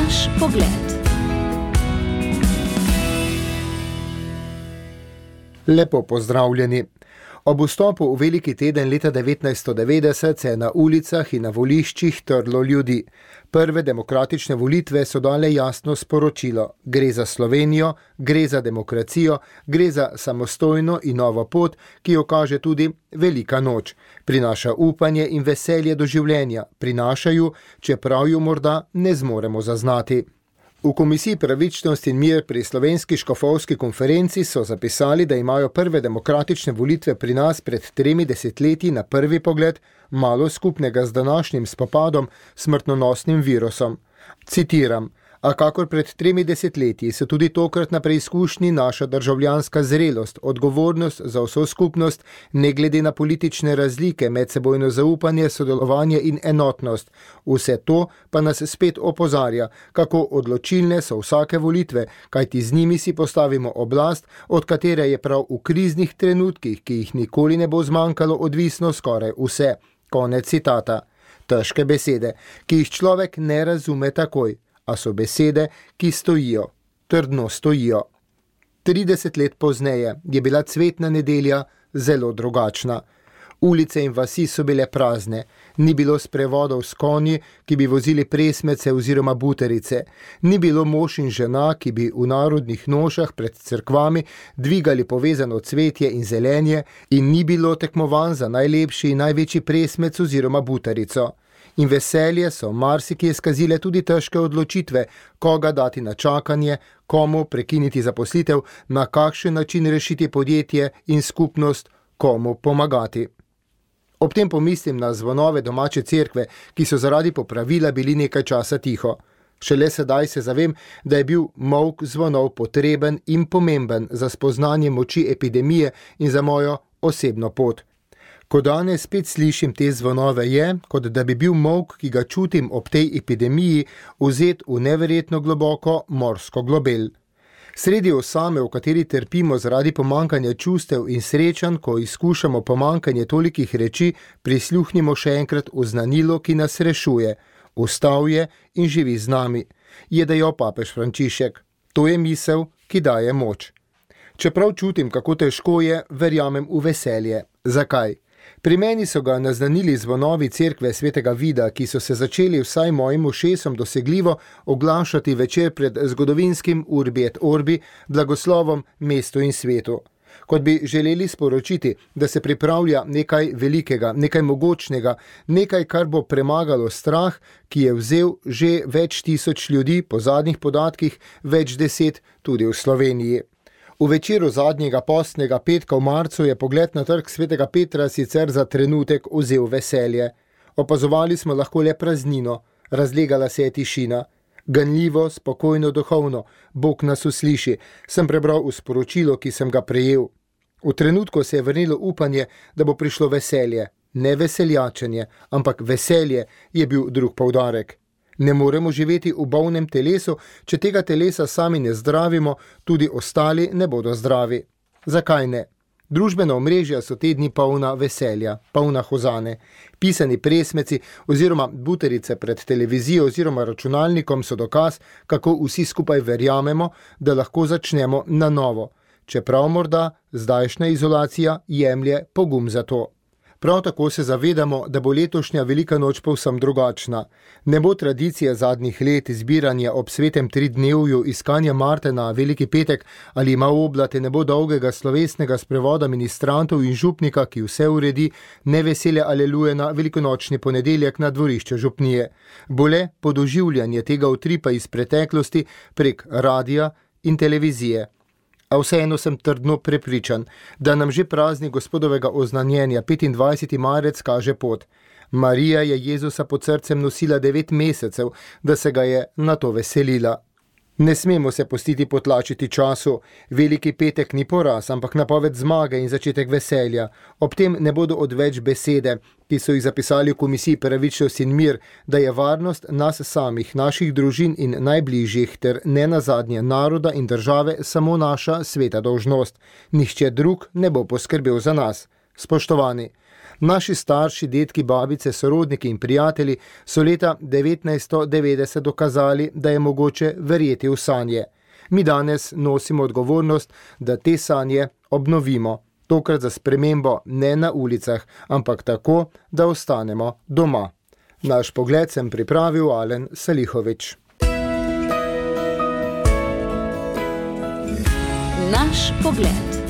Naš pogled. Lepo pozdravljeni. Ob vstopu v veliki teden leta 1990 se je na ulicah in na voliščih trlo ljudi. Prve demokratične volitve so dale jasno sporočilo. Gre za Slovenijo, gre za demokracijo, gre za samostojno in novo pot, ki jo kaže tudi Velika noč. Prinaša upanje in veselje do življenja. Prinaša ju, čeprav ju morda ne zmoremo zaznati. V Komisiji Pravičnost in mir pri Slovenski škofovski konferenci so zapisali, da imajo prve demokratične volitve pri nas pred 3 desetletji na prvi pogled malo skupnega z današnjim spopadom s smrtonosnim virusom. Citiram: a kakor pred 3 desetletji se tudi tokrat na preizkušnji naša državljanska zrelost, odgovornost za vso skupnost, ne glede na politične razlike, medsebojno zaupanje, sodelovanje in enotnost. Vse to pa nas spet opozarja, kako odločilne so vsake volitve, kajti z njimi si postavimo oblast, od katere je prav v kriznih trenutkih, ki jih nikoli ne bo zmanjkalo, odvisno skoraj vse. Konec citata. Težke besede, ki jih človek ne razume takoj. A so besede, ki stojijo, trdno stojijo. 30 let pozneje je bila cvetna nedelja zelo drugačna. Ulice in vasi so bile prazne, ni bilo sprevodov s konji, ki bi vozili presmece oziroma buterice, ni bilo mož in žena, ki bi v narodnih nošah pred cerkvami dvigali povezano cvetje in zelenje, in ni bilo tekmovanj za najlepši in največji presmec oziroma buterico. In veselje so marsikje skazile tudi težke odločitve, koga dati na čakanje, komu prekiniti zaposlitev, na kakšen način rešiti podjetje in skupnost, komu pomagati. Ob tem pomislim na zvonove domače cerkve, ki so zaradi popravila bili nekaj časa tiho. Šele sedaj se zavem, da je bil molk zvonov potreben in pomemben za spoznanje moči epidemije in za mojo osebno pot. Ko danes spet slišim te zvonove, je, kot da bi bil molk, ki ga čutim ob tej epidemiji, vzet v neverjetno globoko morsko globel. Sredi osame, v kateri trpimo zaradi pomanjkanja čustev in srečanj, ko izkušamo pomanjkanje tolikih reči, prisluhnimo še enkrat oznanilo, ki nas rešuje. Vstal je in živi z nami, je dejal papež Frančišek. To je misel, ki daje moč. Čeprav čutim, kako težko je, verjamem v veselje. Zakaj? Pri meni so ga naznanili zvonovi cerkve svetega Vida, ki so se začeli vsaj mojim ušesom dosegljivo oglašati večer pred zgodovinskim Urbi et Orbi, blagoslovom mestu in svetu. Kot bi želeli sporočiti, da se pripravlja nekaj velikega, nekaj mogočnega, nekaj, kar bo premagalo strah, ki je vzel že več tisoč ljudi, po zadnjih podatkih več 10 tudi v Sloveniji. V večeru zadnjega postnega petka v marcu je pogled na trg svetega Petra sicer za trenutek vzel veselje. Opazovali smo lahko le praznino, razlegala se je tišina. Ganljivo, spokojno, duhovno, Bog nas usliši, sem prebral v sporočilo, ki sem ga prejel. V trenutku se je vrnilo upanje, da bo prišlo veselje. Ne veseljačenje, ampak veselje je bil drug poudarek. Ne moremo živeti v bolnem telesu, če tega telesa sami ne zdravimo, tudi ostali ne bodo zdravi. Zakaj ne? Družbena omrežja so te dni polna veselja, polna hozane. Pisani presmeci oziroma buterice pred televizijo oziroma računalnikom so dokaz, kako vsi skupaj verjamemo, da lahko začnemo na novo. Čeprav morda zdajšnja izolacija jemlje pogum za to. Prav tako se zavedamo, da bo letošnja Velika noč povsem drugačna. Ne bo tradicija zadnjih let zbiranja ob svetem tridnevju, iskanja Marte na Veliki petek ali ima oblate, ne bo dolgega slovesnega sprevoda ministrantov in župnika, ki vse uredi, ne veselja aleluje na velikonočni ponedeljek na dvorišče župnije. Bo le podoživljanje tega utripa iz preteklosti prek radija in televizije. A vseeno sem trdno prepričan, da nam že praznik Gospodovega oznanjenja 25. marec kaže pot. Marija je Jezusa pod srcem nosila 9 mesecev, da se ga je na to veselila. Ne smemo se pustiti potlačiti času. Veliki petek ni poraz, ampak napoved zmage in začetek veselja. Ob tem ne bodo odveč besede, ki so jih zapisali v Komisiji Pravičnost in mir, da je varnost nas samih, naših družin in najbližjih ter ne nazadnje naroda in države samo naša sveta dolžnost. Nihče drug ne bo poskrbel za nas. Spoštovani, Naši starši, dedki, babice, sorodniki in prijatelji so leta 1990 dokazali, da je mogoče verjeti v sanje. Mi danes nosimo odgovornost, da te sanje obnovimo. Tokrat za spremembo ne na ulicah, ampak tako, da ostanemo doma. Naš pogled sem pripravil Alen Salihović. Naš pogled.